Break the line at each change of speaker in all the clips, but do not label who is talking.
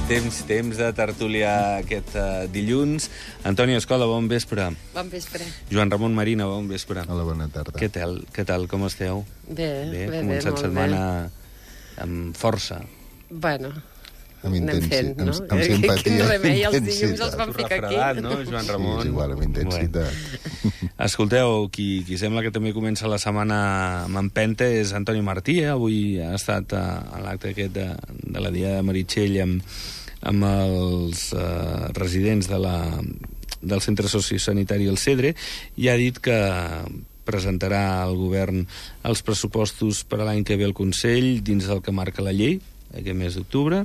Temps de tertúlia aquest dilluns. Antoni Escola, bon vespre.
Bon vespre.
Joan Ramon Marina, bon vespre.
Hola, bona tarda.
Què tal, com esteu?
Bé,
començat
molt
setmana
bé.
amb força.
Bueno,
Amb
fent, no?
amb simpatia.
Quin remei, els
intensitat.
dilluns els vam ficar aquí.
Refredat, no, Joan Ramon?
Sí, és igual, amb intensitat.
Bueno. Escolteu, qui sembla que també comença la setmana amb empenta és Antoni Martí. Avui ha estat a l'acte aquest de la Dia de Meritxell amb els residents del centre sociosanitari El Cedre, i ha dit que presentarà al govern els pressupostos per a l'any que ve al Consell dins del que marca la llei, aquest mes d'octubre,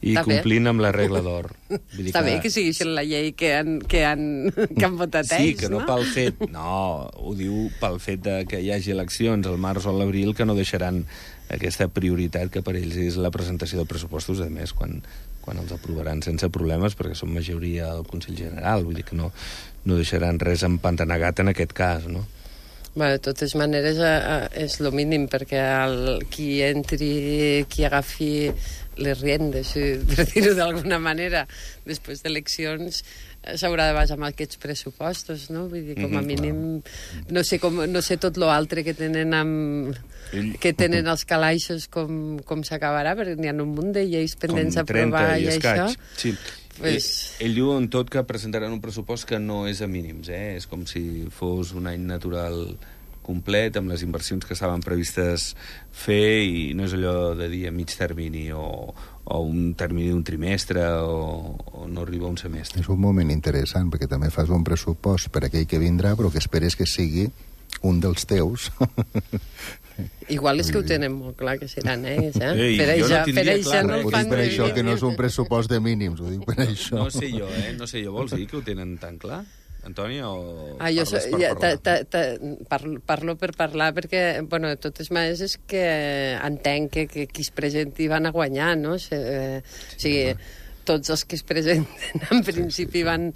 i
Està
complint amb la regla d'or.
Està bé que sigui així la llei que han votat ells,
sí, que no pel fet... No, ho diu pel fet que hi hagi eleccions al març o a l'abril, que no deixaran aquesta prioritat que per ells és la presentació de pressupostos, a més, quan els aprovaran sense problemes, perquè són majoria al Consell General, vull dir que no deixaran res empantanegat en aquest cas, no?
Bueno, de totes maneres és el mínim, perquè qui agafi les riendes, per dir-ho d'alguna manera, després d'eleccions s'haurà de basar amb aquests pressupostos, no? Vull dir, com a mínim, no sé tot l'altre que tenen els calaixos com s'acabarà, perquè n'hi ha un munt de lleis pendents a aprovar i això.
Sí. Ell diu en tot que presentaran un pressupost que no és a mínims, és com si fos un any natural complet, amb les inversions que estaven previstes fer, i no és allò de dir a mig termini o un termini d'un trimestre o no arriba a un semestre.
És un moment interessant, perquè també fas un pressupost per aquell que vindrà, però que esperes que sigui un dels teus.
Igual és que ho tenen molt clar, que seran ells,
Per
això no
ho
fan...
dic per això, que no és un pressupost de mínims, ho dic per això.
No sé jo, vols dir que ho tenen tan clar? Antoni, o
jo
parles per parlar?
Parlo per parlar, perquè, bueno, de totes maneres és que entenc que qui es presenti van a guanyar, no? O sigui, tots els que es presenten en principi van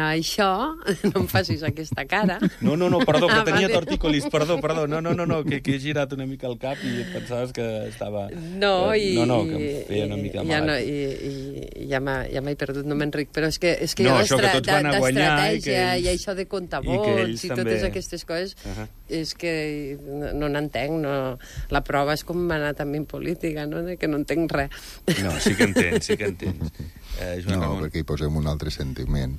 a això. No em facis aquesta cara.
No, perdó, que tenia tortícolis, perdó, no, que he girat una mica el cap i pensaves que estava...
No,
que em feia una mica mal.
Ja m'he perdut, no m'enric, però és que
no, això que tots van a guanyar
i això de comptar vots i totes aquestes coses, és que no n'entenc, la prova és com m'ha anat a mi en política, no? Que no entenc res.
No, sí que entens.
No, perquè hi posem un altre sentiment.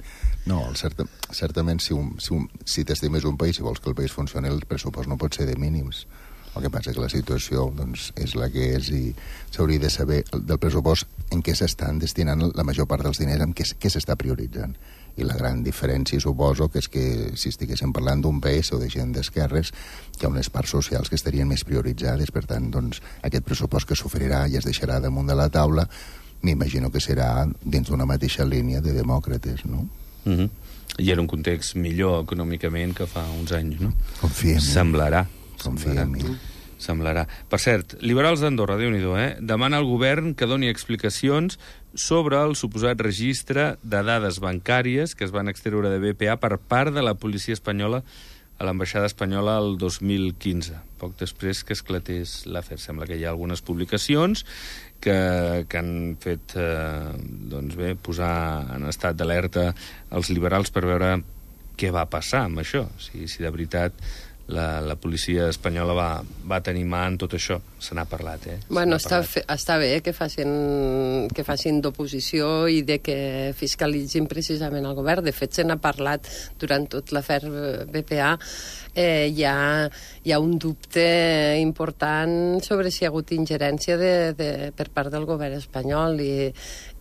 No, certament, si t'estimes un país i vols que el país funcioni, el pressupost no pot ser de mínims. El que passa és que la situació és la que és, i s'hauria de saber del pressupost en què s'estan destinant la major part dels diners, en què s'està prioritzant. I la gran diferència, suposo, que és que si estiguéssim parlant d'un PS o de gent d'esquerres, hi ha unes parts socials que estarien més prioritzades. Per tant, doncs, aquest pressupost que s'oferirà i es deixarà damunt de la taula, m'imagino que serà dins d'una mateixa línia de demòcrates, no?
I era un context millor econòmicament que fa uns anys, no?
Confia en mi.
Semblarà. Per cert, Liberals d'Andorra, Déu-n'hi-do, demana al govern que doni explicacions sobre el suposat registre de dades bancàries que es van extreure de BPA per part de la policia espanyola a l'ambaixada espanyola el 2015, poc després que esclatés l'afer. Sembla que hi ha algunes publicacions que han fet posar en estat d'alerta els liberals per veure què va passar amb això, si de veritat la policia espanyola va tenir mà en tot això. Se n'ha parlat,
Bueno, està bé que facin d'oposició i de que fiscalitzin precisament el govern. De fet, se n'ha parlat durant tot l'afer BPA. Hi ha un dubte important sobre si hi ha hagut ingerència per part del govern espanyol,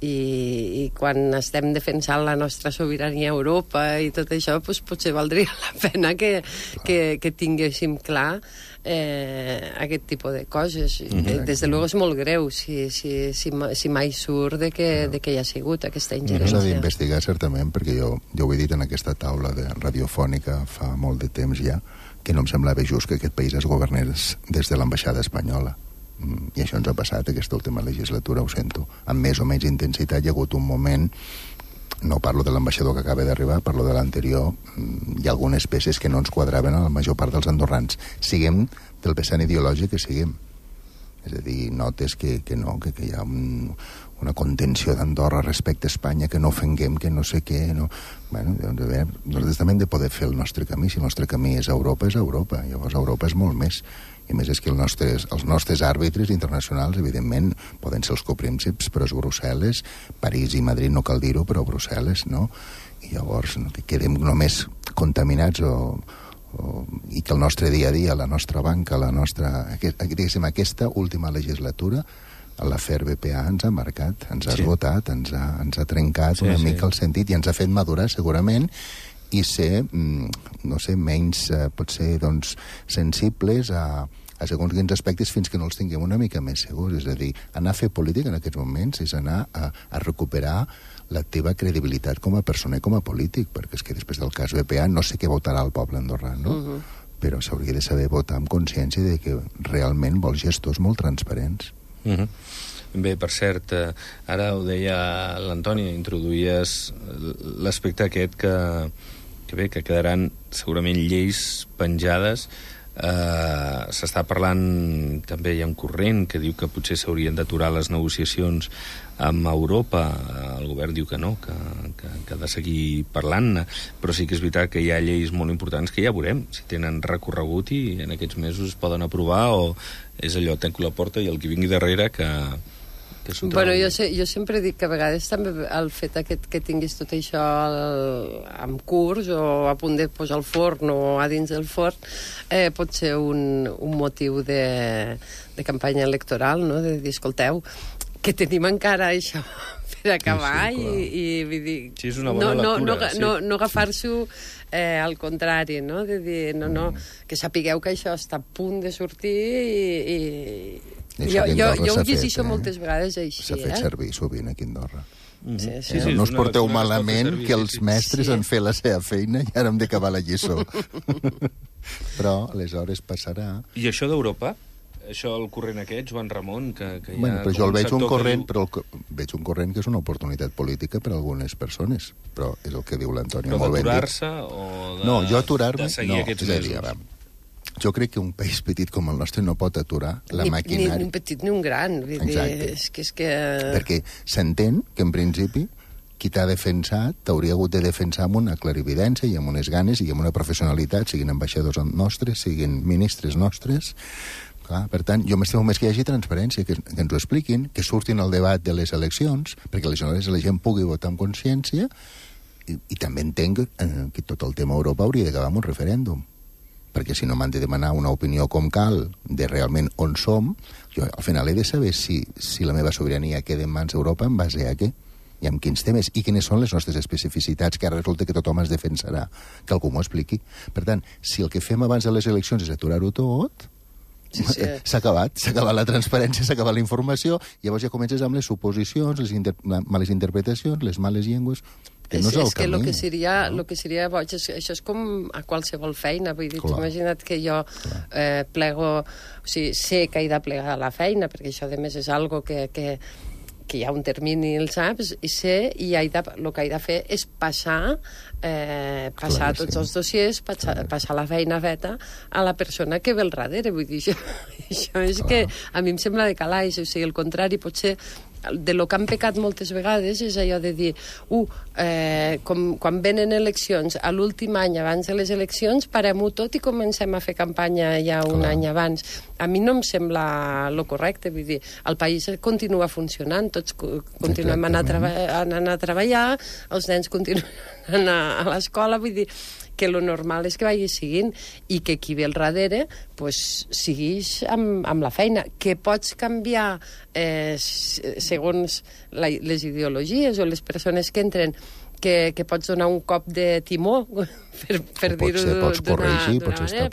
i quan estem defensant la nostra sobirania a Europa i tot això, doncs potser valdria la pena que tinguéssim clar aquest tipus de coses. Des de luego és molt greu si mai surt de que hi ha sigut aquesta ingerència.
S'ha d'investigar, certament, perquè jo ho he dit en aquesta taula radiofònica fa molt de temps ja, que no em semblava just que aquest país es governés des de l'ambaixada espanyola. I això ens ha passat aquesta última legislatura, ho sento. Amb més o menys intensitat hi ha hagut un moment, no parlo de l'ambaixador que acaba d'arribar, parlo de l'anterior, hi ha algunes peces que no ens quadraven a la major part dels andorrans. Siguem del vessant ideològic que siguem. És a dir, notes que no, que hi ha una contenció d'Andorra respecte a Espanya, que no ofenguem, que no sé què, no... Bueno, doncs, a veure, nosaltres també hem de poder fer el nostre camí. Si el nostre camí és Europa, és Europa. Llavors Europa és molt més. I a més és que els nostres àrbitres internacionals, evidentment, poden ser els coprínceps, però és Brussel·les, París i Madrid, no cal dir-ho, però Brussel·les, no? I llavors no quedem només contaminats i que el nostre dia a dia, la nostra banca, aquesta última legislatura, l'afer BPA ens ha marcat, ens ha esgotat, ens ha trencat una mica el sentit i ens ha fet madurar segurament i ser, no sé, menys potser doncs, sensibles a segons quins aspectes fins que no els tinguem una mica més segurs. És a dir, anar a fer política en aquests moments és anar a recuperar la teva credibilitat com a persona i com a polític, perquè és que després del cas BPA no sé què votarà el poble andorrà, no? Però s'hauria de saber votar amb consciència de que realment vols gestors molt transparents.
Bé, per cert, ara ho deia l'Antoni, introduïes l'aspecte aquest que quedaran segurament lleis penjades. S'està parlant, també hi ha un corrent que diu que potser s'haurien d'aturar les negociacions amb Europa. El govern diu que no, que ha de seguir parlant-ne, però sí que és veritat que hi ha lleis molt importants que ja veurem si tenen recorregut i en aquests mesos es poden aprovar, o és allò, tanco la porta i el que vingui darrere que
Bueno, jo sempre dic que a vegades també el fet que tinguis tot això en curs o a punt de posar al forn o a dins del forn pot ser un motiu de campanya electoral, no? De dir, escolteu, que tenim encara això per acabar i vull dir...
Sí, és una bona lectura.
No agafar-s'ho al contrari, no? De dir, no, que sapigueu que això està a punt de sortir i jo ho llegeixo moltes vegades així.
S'ha fet servir sovint aquí a Andorra.
Sí,
no us porteu malament que els mestres han fet la seva feina i ara hem d'acabar la lliçó. Però aleshores passarà...
I això d'Europa? Això, el corrent aquest, Joan Ramon, que hi ha...
Bueno, però jo el veig un corrent, però veig un corrent que és una oportunitat política per a algunes persones, però és el que diu l'Antoni.
Però d'aturar-se o
no, jo aturar-me...
de seguir aquests mesos?
Jo crec que un país petit com el nostre no pot aturar la maquinària.
Ni un petit ni un gran. Vull dir, és que...
Perquè s'entén que, en principi, qui t'ha defensat t'hauria hagut de defensar amb una clarividència i amb unes ganes i amb una professionalitat, siguin ambaixadors nostres, siguin ministres nostres. Clar, per tant, jo m'estimo més que hi hagi transparència, que ens ho expliquin, que surtin al debat de les eleccions, perquè aleshores la gent pugui votar amb consciència, i també entenc que tot el tema Europa hauria d'acabar amb un referèndum, perquè si no m'han de demanar una opinió com cal de realment on som, jo al final he de saber si la meva sobirania queda en mans d'Europa en base a què i amb quins temes, i quines són les nostres especificitats, que ara resulta que tothom es defensarà, que algú m'ho expliqui. Per tant, si el que fem abans de les eleccions és aturar-ho tot, s'ha acabat la transparència, s'ha acabat la informació, llavors ja comences amb les suposicions, les males interpretacions, les males llengües...
És que el que seria boig, això és com a qualsevol feina, vull dir, imagina't que jo plego, o sigui, sé que he de plegar la feina, perquè això a més és algo que hi ha un termini, el saps, i sé, i el que he de fer és passar tots els dossiers, passar la feina feta a la persona que ve al darrere, vull dir, això és que a mi em sembla de calaix, o sigui, el contrari, potser de lo que han pecat moltes vegades és allò de dir, quan venen eleccions, a l'últim any abans de les eleccions, parem-ho tot i comencem a fer campanya ja un any abans. A mi no em sembla lo correcte, vull dir, el país continua funcionant, tots continuem anant a treballar, els nens continuen anant a l'escola, vull dir, que lo normal és que vagi seguint i que qui ve al darrere pues, segueix amb la feina. Que pots canviar segons les ideologies o les persones que entren, que pots donar un cop de timó per dir-ho d'una manera,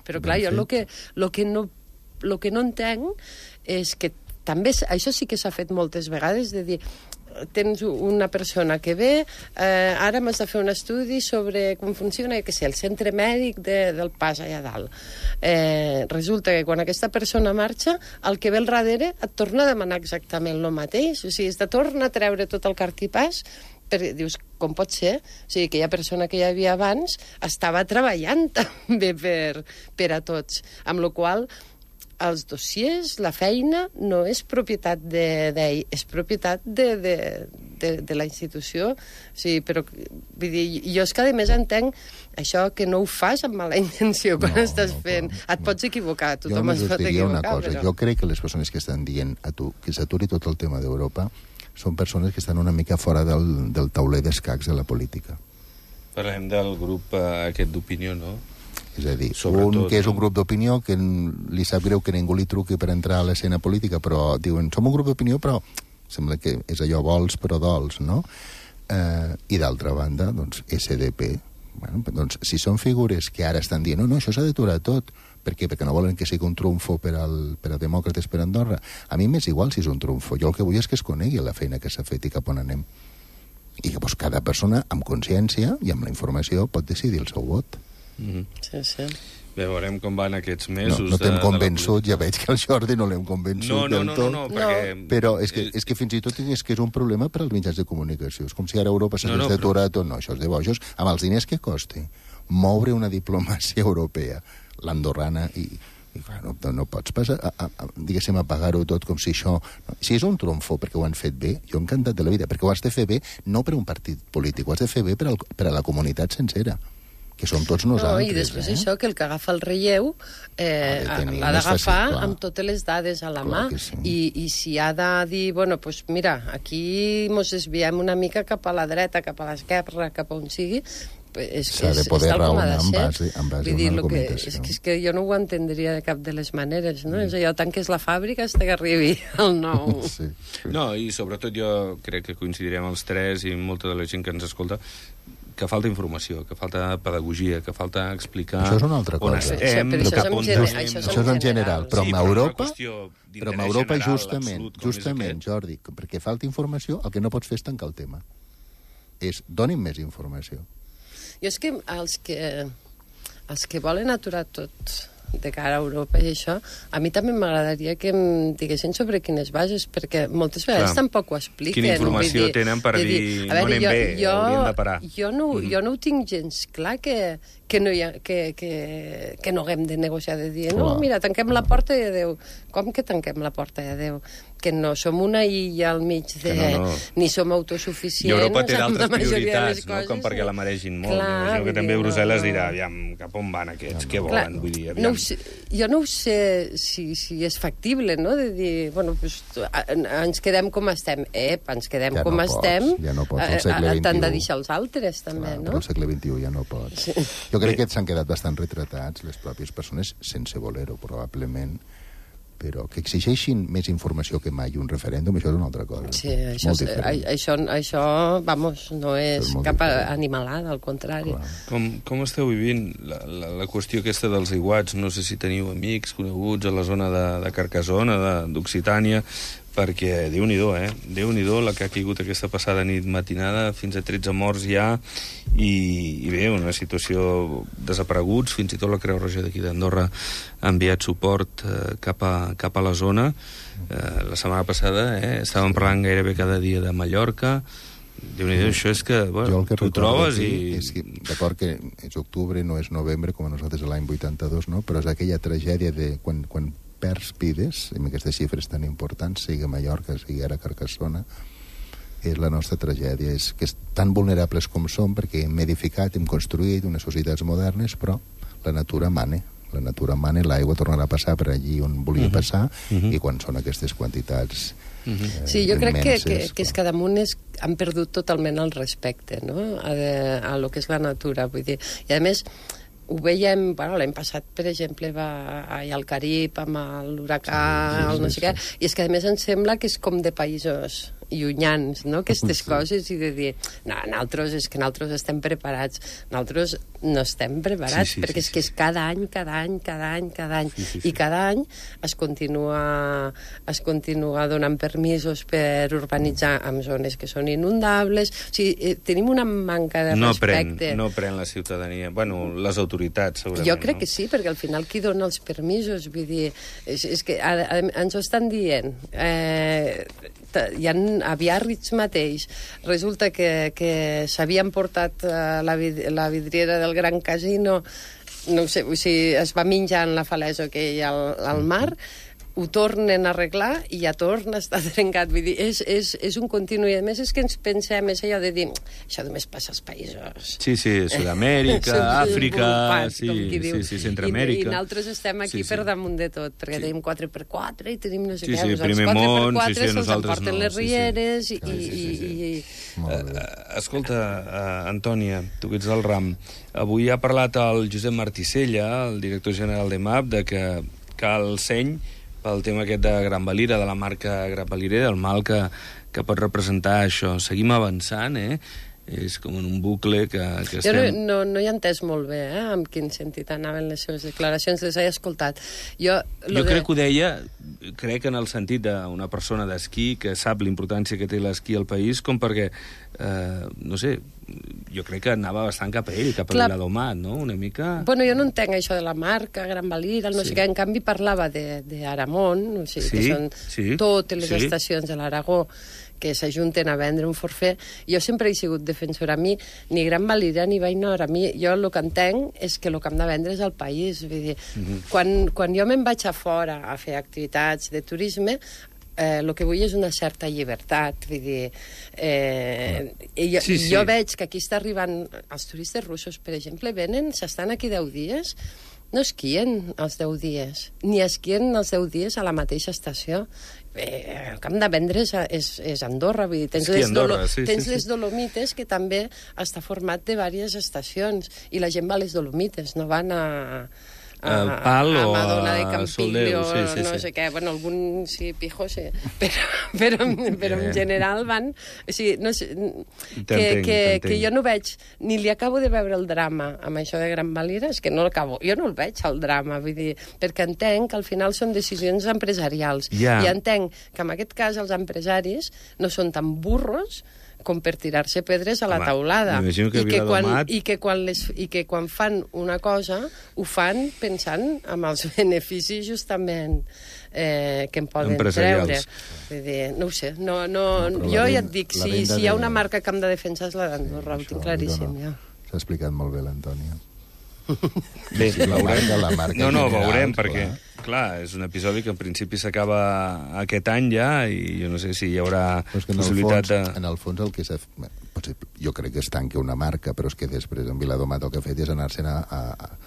però clar, jo el que no entenc és que també, això sí que s'ha fet moltes vegades, de dir, tens una persona que ve, ara m'has de fer un estudi sobre com funciona, que sé, el centre mèdic del Pas allà dalt. Resulta que quan aquesta persona marxa, el que ve al darrere et torna a demanar exactament el mateix, o sigui, es torna a treure tot el cartipàs, dius, com pot ser? O sigui, aquella persona que hi havia abans estava treballant també per a tots, amb la qual els dossiers, la feina, no és propietat d'ell, és propietat de la institució. O sigui, però, vull dir, jo és que a més entenc això que no ho fas amb mala intenció quan estàs fent. Et pots equivocar, tothom es pot equivocar.
Però... Jo crec que les persones que estan dient a tu que s'aturi tot el tema d'Europa són persones que estan una mica fora del tauler d'escacs de la política.
Parlem del grup aquest d'opinió, no?
És a dir, un que és un grup d'opinió que li sap greu que ningú li truqui per entrar a l'escena política, però diuen, som un grup d'opinió, però sembla que és allò vols però dols, no? I d'altra banda, doncs, SDP. Bueno, doncs, si són figures que ara estan dient no, això s'ha d'aturar tot. Per què? Perquè no volen que sigui un trumfo per a demòcrates per Andorra. A mi m'és igual si és un trumfo. Jo el que vull és que es conegui la feina que s'ha fet i cap on anem. I que doncs, cada persona, amb consciència i amb la informació, pot decidir el seu vot.
Sí, sí.
Bé, veurem com van aquests mesos.
No t'hem convençut, ja veig que el Jordi no l'hem convençut del tot.
No, perquè...
Però és que fins i tot és que és un problema per als mitjans de comunicació. És com si ara Europa s'hagués d'aturar tot. No, això és de bojos. Amb els diners que costi moure una diplomàcia europea, l'andorrana, i clar, no pots passar, diguéssim, a pagar-ho tot com si això... Si és un trumfo perquè ho han fet bé, jo encantat de la vida, perquè ho has de fer bé no per un partit polític, ho has de fer bé per a la comunitat sencera, que som tots nosaltres.
I després això, que el que agafa el relleu l'ha d'agafar amb totes les dades a la mà. I si ha de dir, bueno, doncs mira, aquí mos desviem una mica cap a la dreta, cap a l'esquerra, cap a on sigui,
s'ha de poder raonar en base a una argumentació.
És que jo no ho entendria de cap de les maneres, no? És allò, tanques la fàbrica fins que arribi el nou.
No, i sobretot jo crec que coincidirem els tres i molta de la gent que ens escolta que falta informació, que falta pedagogia, que falta explicar...
Això és una altra cosa. Això és en general, però amb Europa justament, Jordi, perquè falta informació, el que no pots fer és tancar el tema. Doni'm més informació.
Jo és que els que volen aturar tot de cara a Europa i això, a mi també m'agradaria que em diguessin sobre quines bases, perquè moltes vegades tampoc ho expliquen.
Quina informació tenen per dir no anem bé, hauríem de parar.
Jo no ho tinc gens clar que no haguem de negociar, de dir, no, mira, tanquem la porta i adéu. Com que tanquem la porta i adéu? Que no som una illa al mig de... ni som autosuficients.
I Europa té d'altres prioritats, no? Com perquè la maregin molt. Imagino que també Brussel·les dirà, aviam, cap on van aquests? Què volen? Vull dir, aviam.
Jo no ho sé si és factible, no?, de dir, bueno, ens quedem com estem. Ens quedem com estem.
Ja no pots, al segle XXI.
T'han de deixar els altres, també, no?
Però al segle XXI ja no pots. Jo crec que s'han quedat bastant retratats les pròpies persones, sense voler-ho, probablement, però que exigeixin més informació que mai un referèndum, això és una altra cosa.
Sí, això vamos, no és cap animalada, al contrari.
Com esteu vivint la qüestió aquesta dels aiguats? No sé si teniu amics, coneguts a la zona de Carcassona, d'Occitània, perquè Déu-n'hi-do, Déu-n'hi-do la que ha caigut aquesta passada nit matinada, fins a 13 morts ja, i bé, una situació desapareguts, fins i tot la Creu Roja d'aquí d'Andorra ha enviat suport cap a la zona. La setmana passada estàvem parlant gairebé cada dia de Mallorca. Déu-n'hi-do, això és que, bueno, tu trobes i...
D'acord que és octubre, no és novembre, com a nosaltres l'any 82, no? Però és aquella tragèdia de quan perds vides, amb aquestes xifres tan importants, sigui a Mallorca, sigui ara a Carcassona, és la nostra tragèdia. És que tan vulnerables com som, perquè hem edificat, hem construït unes societats modernes, però la natura mana. La natura mana, l'aigua tornarà a passar per allí on volia passar, i quan són aquestes quantitats
sí, jo crec que és que damunt han perdut totalment el respecte, no?, a lo que és la natura. Vull dir, i a més, ho veiem, bueno, l'any passat, per exemple, va allà al Carib amb l'huracà, el no sé què, i és que a més em sembla que és com de països llunyans, no?, aquestes coses, i de dir, no, nosaltres estem preparats. Nosaltres no estem preparats, perquè és que és cada any, i cada any es continua donant permisos per urbanitzar en zones que són inundables. O sigui, tenim una manca de respecte.
No pren la ciutadania, bueno, les autoritats, segurament.
Jo crec que sí, perquè al final qui dona els permisos, vull dir, és que ens ho estan dient. Hi ha a Biarritz mateix, resulta que s'havien portat la vidriera del Gran Casino no ho sé, o sigui, es va menjant la falesa que hi ha al mar, ho tornen a arreglar i ja torna a estar trencat. Vull dir, és un continu. I a més és que ens pensem, és allò de dir, això només passa als països.
Sí, Sud-amèrica, Àfrica, Centroamèrica.
I nosaltres estem aquí per damunt de tot, perquè tenim 4x4 i tenim no sé què.
Sí, primer món,
se'ls emporten les rieres
Escolta, Antònia, tu que ets del ram, avui ha parlat el Josep Marticella, el director general de MAP, de que cal seny pel tema aquest de Gran Valira, de la marca Gran Valira, del mal que pot representar això. Seguim avançant, És com en un bucle que estem...
Jo no hi he entès molt bé, en quin sentit anaven les seves declaracions, les he escoltat. Jo
crec que ho deia, crec en el sentit d'una persona d'esquí que sap l'importància que té l'esquí al país, com perquè, no sé, jo crec que anava bastant cap a ell, cap a l'Adomat, no? Una mica...
Bueno, jo no entenc això de la marca, Gran Valira, no sé què, en canvi parlava d'Aramon, o sigui, que són totes les estacions de l'Aragó que s'ajunten a vendre un forfait. Jo sempre he sigut defensora. A mi, ni Gran Valira ni Vallnor, a mi, jo el que entenc és que el que hem de vendre és el país. Vull dir, quan jo me'n vaig a fora a fer activitats de turisme, el que vull és una certa llibertat. Vull dir, jo veig que aquí està arribant... Els turistes russos, per exemple, venen, s'estan aquí 10 dies, no esquien els 10 dies, ni esquien els 10 dies a la mateixa estació. El que hem de vendre és Andorra, vull dir, tens les Dolomites, que també està format de diverses estacions, i la gent va a les Dolomites, no van a Madonna de Campiglio, no sé què, bueno, algun sí, pijo, sí, però en general van... O sigui, no sé, que jo no veig, ni li acabo de veure el drama amb això de Gran Valira, és que no l'acabo, jo no el veig, el drama, vull dir, perquè entenc que al final són decisions empresarials, i entenc que en aquest cas els empresaris no són tan burros com per tirar-se pedres a la taulada. I que quan fan una cosa, ho fan pensant en els beneficis justament que en poden treure. Vull dir, no ho sé. Jo ja et dic, si hi ha una marca que hem de defensar és la d'Andorra, ho tinc claríssim.
S'ha explicat molt bé l'Antònia.
Bé, veurem, perquè, clar, és un episodi que en principi s'acaba aquest any ja, i jo no sé si hi haurà possibilitat de...
En el fons el que s'ha... Jo crec que es tanca una marca, però és que després en Viladomat el que ha fet és anar-se'n a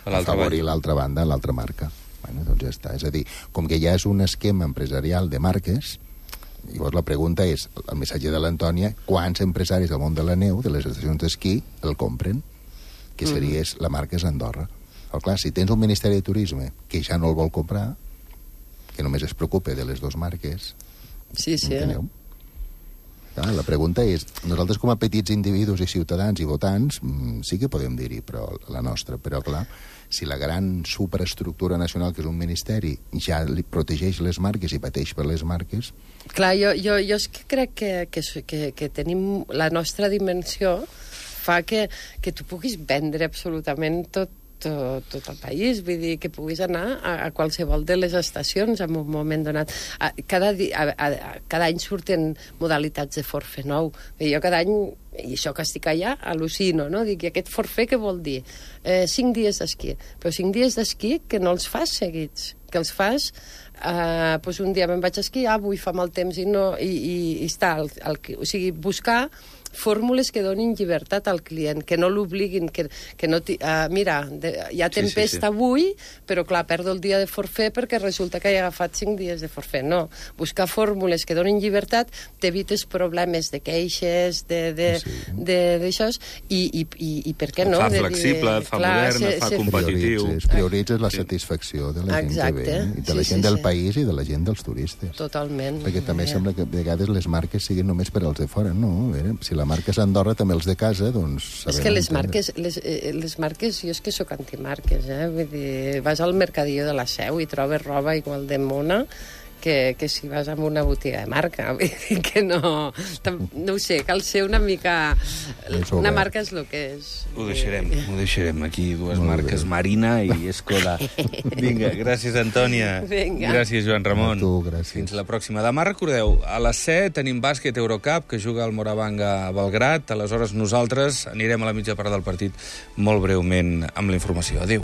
afavorir l'altra banda, l'altra marca. Bueno, doncs ja està. És a dir, com que ja és un esquema empresarial de marques, llavors la pregunta és, el missatge de l'Antònia, quants empresaris del món de la neu, de les estacions d'esquí, el compren? Que seria la marca és Andorra. Però clar, si tens un Ministeri de Turisme que ja no el vol comprar, que només es preocupa de les dues marques, enteneu? Clar, la pregunta és, nosaltres com a petits individus i ciutadans i votants, sí que podem dir-hi, però la nostra, però clar, si la gran superestructura nacional, que és un ministeri, ja li protegeix les marques i pateix per les marques...
Clar, jo és que crec que tenim la nostra dimensió fa que tu puguis vendre absolutament tot el país, vull dir, que puguis anar a qualsevol de les estacions en un moment donat. Cada any surten modalitats de forfait nou. Jo cada any, i això que estic allà, al·lucino, no? Dic, aquest forfait què vol dir? 5 dies d'esquí. Però 5 dies d'esquí que no els fas seguits, que els fas... un dia me'n vaig a esquiar, avui fa mal temps i està, o sigui, buscar fórmules que donin llibertat al client, que no l'obliguin, que no... mira, hi ha tempesta avui, però clar, perdo el dia de forfait perquè resulta que he agafat 5 dies de forfait. No, buscar fórmules que donin llibertat, t'evites problemes de queixes, d'això, i per què no?
Et fa flexible, et fa modern, et fa competitiu.
Prioritzes la satisfacció de la gent que ve, i de la gent del país i de la gent dels turistes.
Totalment.
Perquè també sembla que a vegades les marques siguin només per als de fora, no? Si la marca és Andorra, també els de casa, doncs...
És que les marques, jo és que sóc antimarques, vull dir, vas al mercadillo de la Seu i trobes roba igual de mona que si vas a una botiga de marca, vull dir que no ho sé, cal ser una mica... Una marca és el que és.
Ho deixarem aquí, dues marques, Marina i Skoda. Vinga, gràcies, Antònia. Gràcies, Joan Ramon.
A tu, gràcies.
Fins la pròxima. Demà, recordeu, a les 7 tenim bàsquet Eurocup, que juga el Moravanga a Belgrat. Aleshores, nosaltres anirem a la mitja part del partit molt breument amb la informació. Adéu.